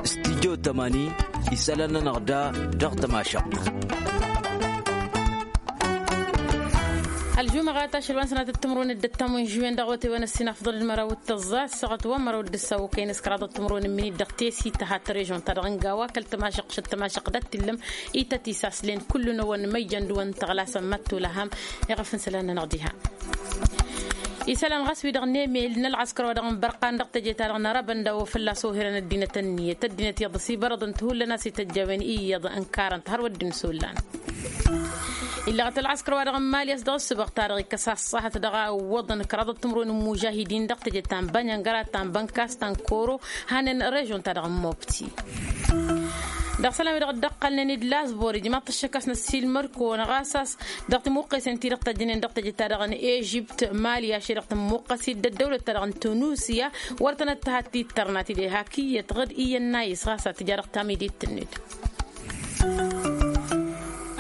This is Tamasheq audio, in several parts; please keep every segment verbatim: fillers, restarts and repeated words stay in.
Studyo tămani isălan-nănăɣ da dăɣ-tămašăɣt. Ălžumăɣat ašăl wa n-sănatăt timǝrwen dd-ăttam wi n-žuwen dăɣ-wătewăn ăssin afḍăl d-măraw d-tăẓẓa s-săɣăt wa n-măraw d-ǝssa okăyăn s-kăraḍăt timǝrwen n-minit dăɣ-tesi tăha tărrežon-ta-dăɣ n-gawa kăl-tămašăɣt šăt tămašăɣt dat-t illăm ităt isaslăn kull-năwăn măjjăn d-wăn tăɣlasăn mad-tolăhăm. Iɣăf n-isălan-nănăɣ diha isălan ɣas wi-dăɣ n-emel n-ălɣăskăr wa dăɣ-n bărqan dăɣ-teje-ta-dăɣ n-arăbăn d-a-wa fălla-s ohărăn ăddinăt ănniyăt ăddinăt iyyăḍ s-ibărăḍăn-t hullan a-s ităjj a-wen iyyăḍ ǝnkarăn-t hărwa dd-insullan. Illăɣăt ălɣăskăr wa dăɣ-n mali a-s dăɣ-ǝssǝbăɣ ta-dăɣ ikăs a ăṣṣahăt dăɣ-a ǝwwăḍăn kăraḍăt timǝrwen n-imužahidin dăɣ-teje ta n-bănyăngăra ta n-bănkas ta n-koro hanen režon-ta-dăɣ n-mobti. Dăɣ-isălan wi-dăɣ dd-ăqqălnen d-lasbor ijmaḍ-t ăššăk a-s năssiilmăr-kăwăn ɣas a-s dăɣ-timuqqesen-ti-dăɣ tăjjănen dăɣ-teje-ta-dăɣ n-ežipt mali ašăl dăɣ-tămmuqqăs-dd ăddăwlăt-ta-dăɣ n-tunusiya wăr tănăttăhat tittărnat-dd ehak iyyăt ɣǝd iyyăn n-ayǝs ɣas ad-tǝja dăɣ-tamidit-net.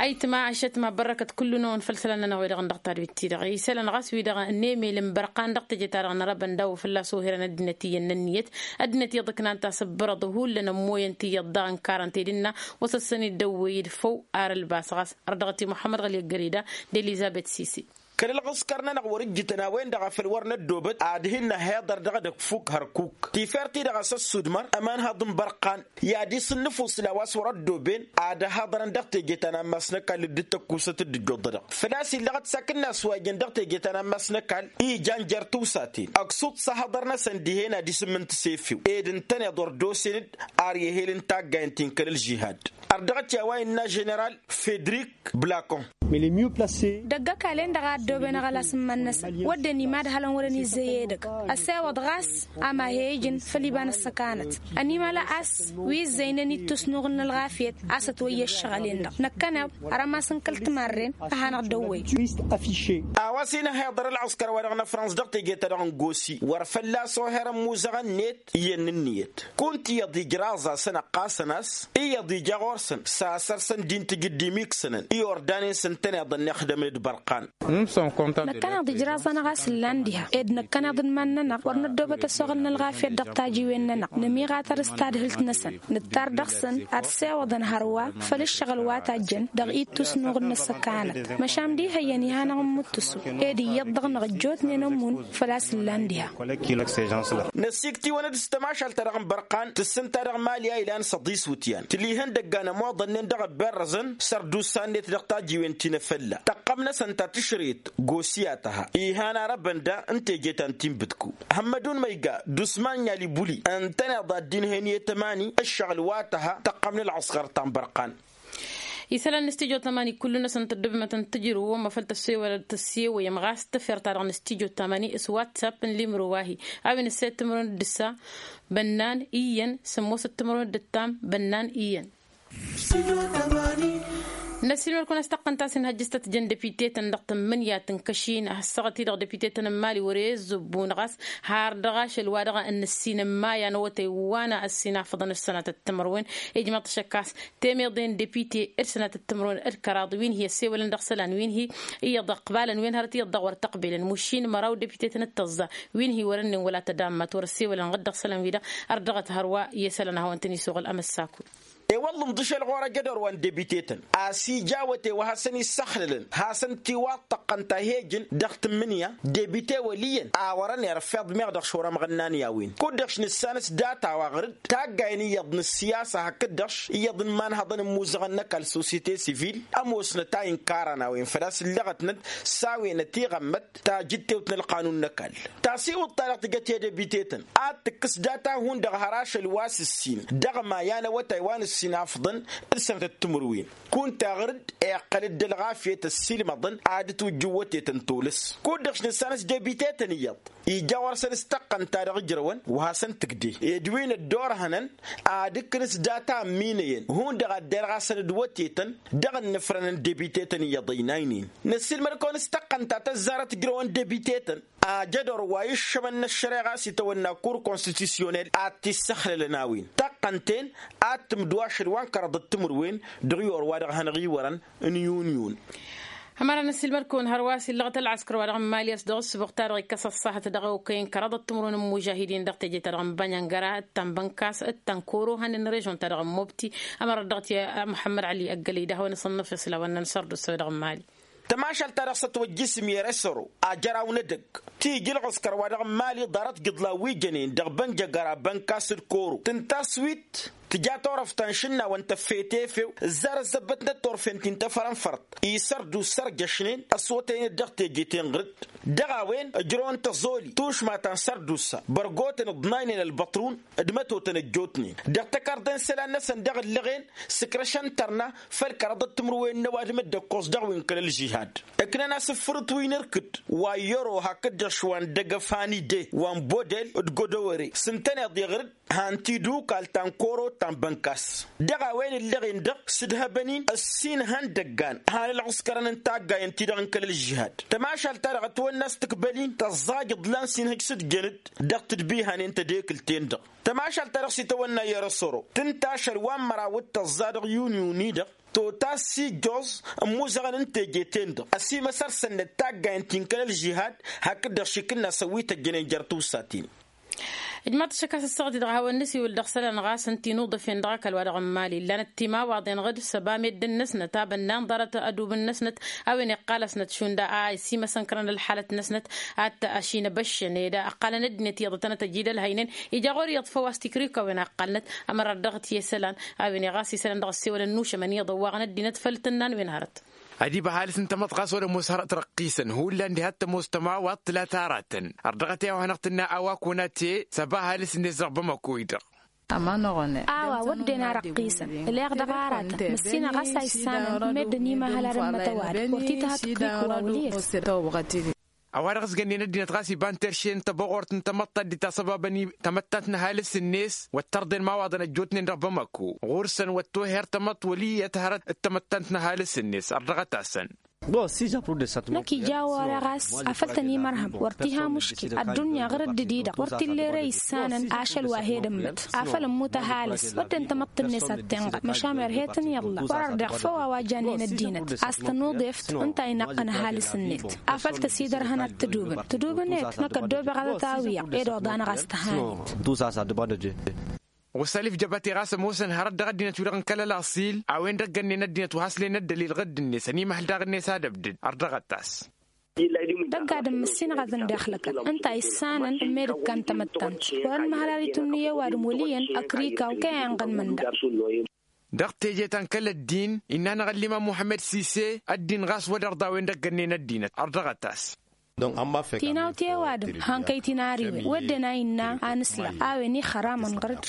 Ayǝtma ašătma bărrăkăt kullu-năwăn făll-isălan-nănăɣ wi-dăɣ n-dăɣ-tadwit-ti-dăɣ isălan ɣas wi-dăɣ n-emel n-bărqan dăɣ-teje-ta-dăɣ n-arăbăn d-a-wa fălla-s ohărăn ăddinăt iyyăn n-ǝnniyăt ăddinăt iyyăḍ ǝknan-t a-s ǝbbărăḍ hullan ămmoyăn-t iyyăḍ daɣ ǝnkarăn-t ed ǝnna wăr s-ăssăn-dd ăwwăy-dd făw ar ălbas ɣas ărdăɣăt i-muḥămmăd ɣăli ăggăreda d-elizăbet sisi. Kăl-ălɣǝskăr-nănăɣ wăr-ǝjjǝtăn a-wen-dăɣ a făl wăr năddoobăt ad-hin-năhhiḍăr dăɣ-edăgg fuk hărkuk tifert-i-dăɣ a-s ăssudmăr ămanhăḍ n-bărqan i-ad-isǝnnǝfus la wa s-wăr-ăddooben ad-ăhaḍărăn dăɣ-teje ta n-ammas n-ăkall dd-tăkkusăt dd-ǝjjuḍădăɣ făl-a-s illăɣăt s-akǝnnas wa ijăn dăɣ-teje ta n-ammas n-ăkall i jan jer-tiwsaten ăksuḍ s-ahăḍăr-năsăn dihen ad-isǝmmǝn tǝsefiw ed ǝntăneḍ wăr dd-osen-dd ar ihel n-taggayen ti n-kăl-ălžihad. Ărdăɣăt i-a-wa innă ženeral fedrik blakon. Dăgg-ăkall-en-dăɣ a ăddooben aɣălas n-iman-năsăn wădden imadhălăn wăren izzăy edăgg ăsewăḍ ɣas ama he-ijǝn făll-iba n-ăssăkanăt ănimăla a-s wi ǝzzăynen ittus n-uɣǝl n-ălɣafyăt a-s ătwăyya ǝššăɣǝl-en-dăɣ năkkăneḍ. Rămas n-kăl-timarren a hanăɣ-dăwwăy. A-wa s-inăhhiḍăr ălɣǝskăr-wa-dăɣ n-ăfrăns dăɣ-teje-ta-dăɣ n-gosi wăr fălla-s oherăn imuzăɣăn-net iyyăn n-ǝnniyăt kunta iyyăḍ ijraẓ-asăn ăqqasăn a-s iyyăḍ ija ɣur-săn s-asărsăn d-intǝj dd-imiksănăn i-ordanen s-ǝntăneḍ ănnixdămăn d-bărqan. Năkkăneḍ ijraẓ-anăɣ a-s ǝllan diha ed năkkăneḍ n-iman-nănăɣ wăr năddoobăt ăsoɣăl n-ălɣafyăt dăɣ-tajiwen-nănăɣ nămiɣatăr s-tadhǝlt-năsăn nǝttar dăɣ-săn ad-sewăḍăn hărwa făll-ǝššăɣǝl wa tajjăn dăɣ-ittus n-uɣǝl n-ăssăkanăt. Măšan d-ihăyyăn iha-năɣ n-imǝttǝsu ed iyyăḍ-dăɣ năɣ-ăjjootnen ămmun făl-a-s ǝllan diha. Năsikt'-iwăn-dd s-tămašalt-ta-dăɣ n-bărqan tǝssǝnta dăɣ-mali a ilan s-ăḍis wǝtyan tǝlihăn dăgg-anămoḍănnen dăɣ-ăbberrăzăn sărdusa-net dăɣ-tajiwen ti n-efălla tăqqăm-năsăn ta tǝšret gosiyat aha ihan arăbăn da n-teje ta n-tinbǝdku. Hămmădun măyga d-usman n-alibuli ǝntăneḍ ad-dd-inhăyăn i-tămani ǝššăɣǝl wa tăha tăqqăm n-ălɣăskăr ta n-bărqan. Isălan n-studyo tămani kullu-năsăn tăddobmătăn tǝjrǝw wămm-afăl tăssewăyăm ɣas tafert-ta-dăɣ n-studyo tămani s-whatsapp n-limro wa-hi a-wen ǝssed timǝrwen d-ǝssa bănnan iyyăn sămmosăt timǝrwen d-ǝttam bănnan iyyăn. Năssiilmăd-kăwăn a-s taqqăn ta s-inhăjjăs tăt-jăn depite-tăn dăɣ-tǝmmǝnǝya tǝnkăš-in a hăssăɣăt-i-dăɣ depite-tăn n-mali wăr-e ǝzzǝbbu-năɣ a-s har dăɣ-ašăl wa dăɣ-nǝssin n-maya n-awătay wa n-ăssinafăḍăn d-sănatăt timǝrwen. Ijmăḍ-t šăkkas temeḍe n-depite d-sănatăt timǝrwen d-kăraḍ wi n-hi-ăssewălăn dăɣ-isălan wi n-hi iyyăḍ ăqbalăn wen hărăt iyyăḍ dăɣ-wăr tăqbelăn mušin măraw depite-tăn d-tăẓẓa wi n-hi wăr-ǝnnin wăla tădammăt wăr-ăssewălăn ɣǝd dăɣ-isălan-wi-dăɣ. Ărdăɣăt hărwa i-isălan a hawăn-tăn-isuɣǝl amăssakul. I-wălla ǝnḍǝšăl ɣur-ejădor wa n-debite-tăn a-s ija awătay wa hasăn-issăxlălăn hasăn-tiwaḍ tăqqăn ta he-ǝjǝn dăɣ-tǝmmǝnǝya debite wăl' iyyăn a wărăn irfeḍ meɣ dăɣ-šorămăɣ ǝnnan i-a-wen kud-dăɣ š-nǝssanăs data-wa ɣǝr-dd taggayen iyyăḍ n-ǝssiyasa hakd-dăɣ š-iyyăḍ n-imanhăḍăn n-imuzăɣăn n-ăkall sosyete sivil. Ămoosnăt a inkarăn a-wen făl-a-s ǝllăɣătnăt s-a-wen ătiɣămmăt tajǝttewt n-ălqanun n-ăkall tasiwǝḍt-ta-dăɣ tǝjăt i-debite-tăn ad-tǝkkǝs data hundăɣ har ašăl wa s-ǝssin dăɣ-maya n-awătay wa n-ǝssin afḍăn d-sănătăt timǝrwen kunta ɣǝr-dd iqqăl-dd ălɣafyăt ăssiilmăḍăn ad-dd-twǝjj ǝwwătetăn tolăs kud-dăɣ š-nǝssanăs debite-tăn iyyăḍ ija ɣur-săn s-tăqqăn ta dăɣ-ǝjrăwăn wa hasăn-tǝkde ed wi n-ăddoorhănăn ad-ǝkkǝn s-data ămminăyăn hundăɣ ad-derɣasăn d-wătetăn dăɣ-ǝnnǝfrănăn debite-tăn iyyăḍ ăynaynen. Năssiilmăd-kăwăn s-tăqqăn ta tăzzarăt ǝjrăwăn debite-tăn ajădor wa iššămăn n-ăššăreɣa s-itawănna kur konstitusyonel ad-t-issăxlălăn a-wen tăqqăn-ten ad-tǝmdǝw ašăl wa n-kăraḍăt timǝrwen dăɣ-iwăr wa dăɣ-hanăɣ-iwărăn n-inyunyun. Ămăra n-ăssiilmăd-kăwăn hărwa a-s illăɣăt ălɣăskăr wa dăɣ-n mali a-s dăɣ-ǝssǝbuɣ-ta-dăɣ ikkăs ăṣṣahăt dăɣ-okăyăn kăraḍăt timǝrwen n-imužahidin dăɣ-teje-ta-dăɣ n-bănyăngăra d-ta n-bănkas d-ta n-koro hanen režon-ta-dăɣ n-mobti. Ămăra dăɣ-t i-muḥămmăd ali ăggălăy d-ahăwăn asănnăf isǝlawăn n-sărdusa dăɣ-n mali. Tămašalt-ta-dăɣ s-ătwăjjǝsǝm i-resăro ajăraw n-edăgg ti ija ălɣăskăr wa dăɣ-n mali ḍarăt gǝḍlan wi jănen dăɣ-bănjăgăra bănkas d-koro tǝnta s-wit tǝja turăft ta n-išǝnnawăn tăffet efew ǝzzar ăzzăbbătnăt turfen ti n-tăfărănfărt isărdusa ărjăšnen ăswătăynet dăɣ-teje tenɣǝrǝd dăɣ-a-wen ǝjrăwăn tăẓoli tušma ta n-sărdusa bărgotăn ǝḍnaynen ălbăṭrun d-mătotăn ăjjootnen dăɣ-tăkarḍe n-isălan-năsăn dăɣ-ǝllăɣen s-ǝkrăšăn tărna făll-kăraḍăt timǝrwen n-ăwadǝm dd-ăkkoẓ dăɣ-wi n-kăl-ălžihad. Ǝknăn-as ǝffǝrǝt wi n-irkǝd wa i-ăro hakd-dăɣ šwa n-dăgg-ăfani de wa n-bodel d-godowăre s-ǝntăneḍ iɣrǝd han tidukal ta n-koro ta n-bănkas dăɣ-a-wen ǝllăɣen-dăɣ s-ǝdhăbăn-in ăssin ihăndăggan han ălɣǝskărăn n-taggayăn-ti-dăɣ n-kăl-ălžihad. Tămašalt-ta-dăɣ ătwănna s-tǝkbăl-in tăẓẓaj iḍlan s-inhăj s-dd-jănăd dăɣ-tǝdbihanen tedekǝlt-en-dăɣ. Tămašalt-ta-dăɣ s-itawănna i-răsoro tǝnta ašăl wa n-măraw d-tăẓẓa dăɣ-yunyu-ni-dăɣ tota s-ijjoẓ n-imuzăɣăn n-teje-ten-dăɣ ăsimăsăr-săn d-taggayăn ti n-kăl-ălžihad hakd-dăɣ šikǝnna s-ăwwit ăjjănen jer-tiwsaten. Ǝjmaḍ-t ašăk a-s ăssaɣăt-i-dăɣ hawăn-nǝsiwǝl dăɣ-isălan ɣas ǝnta inuḍăf-en dăɣ-ăkall wa dăɣ-n mali ǝllanăt timawaḍen ɣǝd s-ăba meddǝn-năsnăt a bănnan ḍarăt adubǝn-năsnăt a-wen iqqal-asnăt šund a isimăsăn kărăn ălxalăt-năsnăt ad-t-ašinăbăššăn ed ăqqalăn ăddinăt iyyăḍ ătănăt ăjid ălhăynen ija ɣur-iyyăḍ făw a-s tikrikawen a ǝqqalnăt. Ămăra dăɣ-t i-isălan a-wen i-ɣas isălan dăɣ-ăssewălăn n-ušămăn iyyăḍ ăwwaɣăn ăddinăt făll-tǝnna n-wen hărăt. Ad-iba ăhalǝs n-tamăḍt ɣas wăr-ămoos hărăt răqqisăn hullan diha t-ămoos tămawaḍt tǝla taratăn. Ărdăɣăt i-a-wa hanăɣ-tǝnna a-wa kunate s-ăba ăhalǝs-net dăɣ-bamăko-i-dăɣ. A-wa wădden a răqqisăn ǝleɣ dăɣ-aratăn măssinăɣ a-s a issanăn meddǝn imăhăl ad-ămmăt ăwadǝm wăr t-ităhăt tikwa wăl-iyyăt. A-wa-dăɣ s-gănnen ăddinăt ɣas iba n-terše n-tăbăɣort n-tamăḍt ta dd-itasăbabăn tamăttant n-ăhalǝs-net wăr tărḍen imawaḍăn ăjjootnen dăɣ-bamăko ɣur-săn wăr toher tamăḍt wăl' iyyăt hărăt d-tamăttant n-ăhalǝs-net ărdăɣăt-asăn. Năkk ija a-wa-dăɣ a-s afăl tăn-imărhăm wăr t-iha muškil ăddunya ɣǝr-dd-di-dăɣ wăr t-illa ere issanăn ašăl wa he-dămmăt afăl ămmut ăhalǝs wădden tamăḍt-net ad-tenɣăl măšan erhe-tăn iḍla wăr-ărdeɣ făw a-wa jannen ăddinăt a-s tănuḍeft ǝnta a inaqqăn ăhalǝs-net afăl tăsidărhăn ad-tǝdubǝn tǝdubǝn-et năkk ăddoobeɣ ad-ătawǝyăɣ ed oḍanăɣ a-s tăhanit. Ɣusalif jăbate ɣas ămoosăn hărăt dăɣ-ăddinăt-wi-dăɣ n-kăl-ălaṣil a-wen-dăɣ gănnen ăddinăt wa has-len ăddălil ɣǝdd-net ănimăhăl daɣ-net ad-ăbdǝd. Ărdăɣăt-as. Dăgg-adǝm măssinăɣ ad-ǝndexlăkăn ǝnta a issanăn n-medǝkkan tamăttant wăr-ănmăhăl ad-itǝnnǝy i-ăwadǝm wăl' iyyăn ăkrikaw kăy-a inɣăn mănda. Dăɣ-teje ta n-kăl-ăddin innă-anăɣ ăllimam muḥămmăd sise ăddin ɣas wăr-ărḍa a-wen-dăɣ gănnen ăddinăt ărdăɣăt-as. Tinawt i-ăwadǝm han kăy-tinariwen wădden a innă a nǝsla a-wen ixăramăn ɣăr-dd.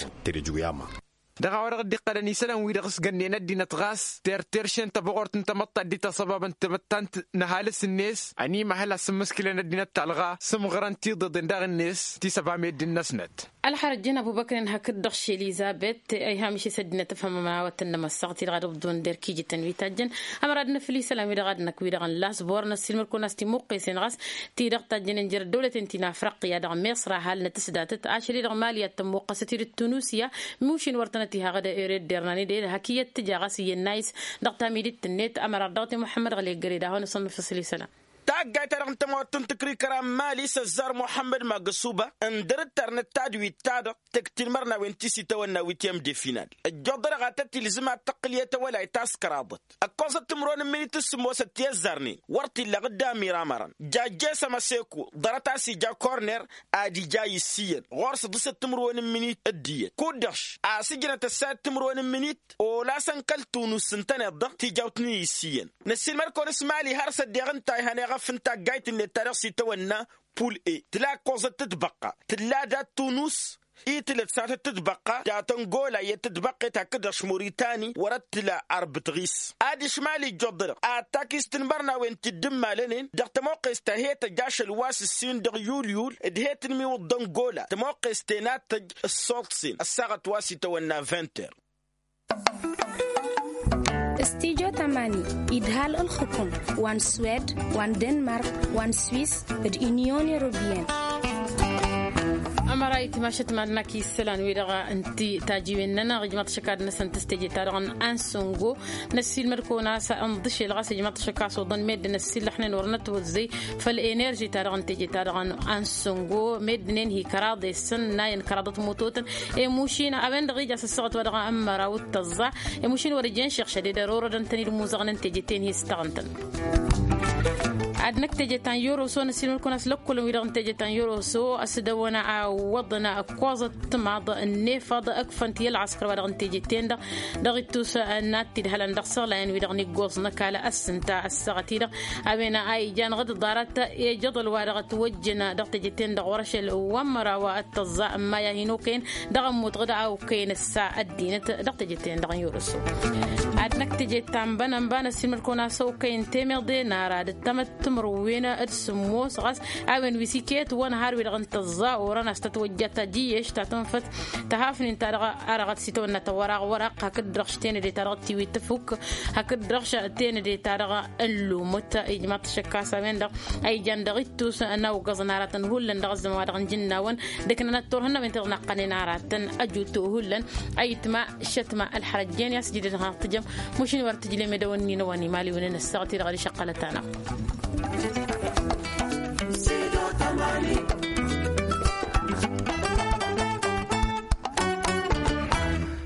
Dăɣ-a-wa-dăɣ dd-iqqălăn isălan-wi-dăɣ s-gănnen ăddinăt ɣas terter šen tăbăɣort n-tamăḍt ta dd-itasăbabăn tamăttant n-ăhalǝs-net ănimăhăl ad-sǝmmǝskǝlăn ăddinăt talɣa s-ǝmɣărăn tiḍeḍen daɣ-net ti s-ăba meddǝn-năsnăt. Ălxărăt jăn ăbubăkren hakd-dăɣ ši elizabet a iha mišes ăddinăt ăfhămăn a-wa tăn-nămăssaɣ-t-i-dăɣ ad-ǝbḍǝwăn derk ijǝtăn wi tajjăn. Ămăra ad-năfǝl isălan-wi-dăɣ a d-năkk-wi-dăɣ n-lasbor năssiilmăd-kăwăn a-s timǝqqesen ɣas ti-dăɣ tajjănen jer-ăddăwlăten ti n-afriqya dăɣ-miṣr a halnăt s-datăt ašăl-i-dăɣ mali ad-tămmuqqăsăt-dd tunusiya. Mušin wăr tănăt-iha ɣǝd ere dd-irnan-dd hak iyyăt tǝja ɣas iyyăn n-ayǝs dăɣ-tamidit-net ămăra ărdăɣăt i-muḥămmăd ɣăli ăggăre d-ad-hawăn-asănnăfăsăl isălan. Taggayt-ta-dăɣ n-tămawăt n-tǝkrikăra n-mali s-ăzzar muḥămmăd magăsuba ǝndăr-dd tărnăt tadwit-ta-dăɣ tăkk tinmărnawen ti s-itawănna witiyăm de final. Ăjjoḍănăɣ ad-tăt-ilzǝm ad-tăqqǝl i-tawălayt ta s-kăraḍăt ăkkoẓăt timǝrwen n-minit s-sǝmmosăt ti-ăzzarnen wăr t-illa ɣǝdda amiramărăn jajje s-ămăseko ḍarăt a-s ija korner ad-ija a iss iyyăn ɣur-s ǝḍǝsăt timǝrwen n-minit d-iyyăt kud-dăɣ a-s ǝjnăt ăssayăt timǝrwen n-minit olasăn kăl-tunus s-ǝntăneḍ-dăɣ tijawt n-iss iyyăn. Năssiilmăd-kăwăn s-mali har s-ăddeɣ ǝnta a ihăn eɣăf n-taggayt-net ta dăɣ-s itawănna pul e tǝla ăkkoẓăt tǝtbăqqa tǝlla dat-tunus. Itǝlăt s-ad-tǝtbăqqa dat-ăngola iyyăt tǝtbăqqet hakd-dăɣ š-muritani wăr-ăttǝla arbǝt ɣis adiš mali ǝjjuḍ-dăɣ ad-takis tinmărnawen ti dd-ǝmmalănen dăɣ-tămoqqest ta he-tăj ašăl wa s-ǝssin dăɣ-yulyul d-he-tǝnmiwǝḍ d-ăngola tămoqqest ten ad-tăj ǝssoḍsen ăssaɣăt wa s-itawănna vinter. Stijo tamani idhal ǝlxǝkum wa n-swed wa n-denmark wa n-swiss d-inyon europeyăn. Ămăra itmašăt madnak isălan wi-dăɣ n-ti tajiwen-nănăɣ ijmaḍ šăkad-năsăn tăstejeta-dăɣ n-ansăngo. Năssiilmăd-kăwăn a-s ănḍǝšel ɣas ijmaḍ šăkad s-oḍăn meddǝn ăssiilăxnen wăr nătwăzzăy făll-enerži-ta-dăɣ n-tejeta-dăɣ n-ansăngo meddǝn-en hi-kăraḍ i-săn n-ayǝn kăraḍăt mutotăn. Emušin a-wen-dăɣ ija s-ăssaɣăt wa dăɣ-ămmăraw d-tăẓẓa. Emušin wăr-ǝjen šiɣšăd ed ărorădăn-tăn-dd imuzăɣăn n-teje-ten hi-s taɣǝntăn. Ad-năkk teje ta n-yoroso năssiilmăd-kăwăn a-s lăkkolăn-wi-dăɣ n-teje ta n-yoroso ăsdăwăn a ǝwwăḍăn ǝkkoẓăt timaḍ n-efăḍ ǝkfăn-t i-ălɣăskăr wa dăɣ-n teje-ten-dăɣ. Dăɣ-ittus n-ad-t-idhălăn dăɣ-isăɣlayen-wi-dăɣ n-iggoẓ n-ăkall ăssǝnta ăssaɣăt-i-dăɣ a-wen a ijan ɣǝd ḍarăt i-ajăḍăl wa dăɣ-ătwăjjăn dăɣ-teje-ten-dăɣ wăr-ašăl. Wa n-măraw ăttăẓẓa n-maya hin-okăyăn dăɣ-ămmut ɣǝd a okăyăn ǝssa ăddinăt dăɣ-teje-ten-dăɣ n-yoroso. Ad-năkk teje ta n-bănănba năssiilmăd-kăwăn a-s okăyăn temeḍe n-ara d-ăttămăt timǝrwen d-sǝmmos ɣas a-wen wi s-iket wăn har-wi-dăɣ n-tăẓẓa orăn a-s tătwăjja tajǝyyeš ta tǝnfăt tăhafnen-ta-dăɣ. Arăɣăt s-itawănna tăwăraɣ wăr-ăqq hakd-dăɣ š-tenăde-ta-dăɣ tiwit tǝfuk hakd-dăɣ š-tenăde-ta-dăɣ n-lumǝt. Ijmaḍ-t šăkk a-s a-wen-dăɣ a ijan dăɣ-ittus n-awǝggăẓăn aratăn hullan dăɣ-ăzzăman wa dăɣ-nǝjǝnnawăn d-ǝknănăt turhǝnnawen ti dăɣ-naqqănen aratăn ăjut hullan. Ayǝtma šătma ălxărăjjen i-a-s jidăn har tǝjăm. Mušin wăr tǝjlem edăwănni n-ăwănimaliwăn n-ăssaɣăt-i-dăɣ ad-išăqqălăt-anăɣ.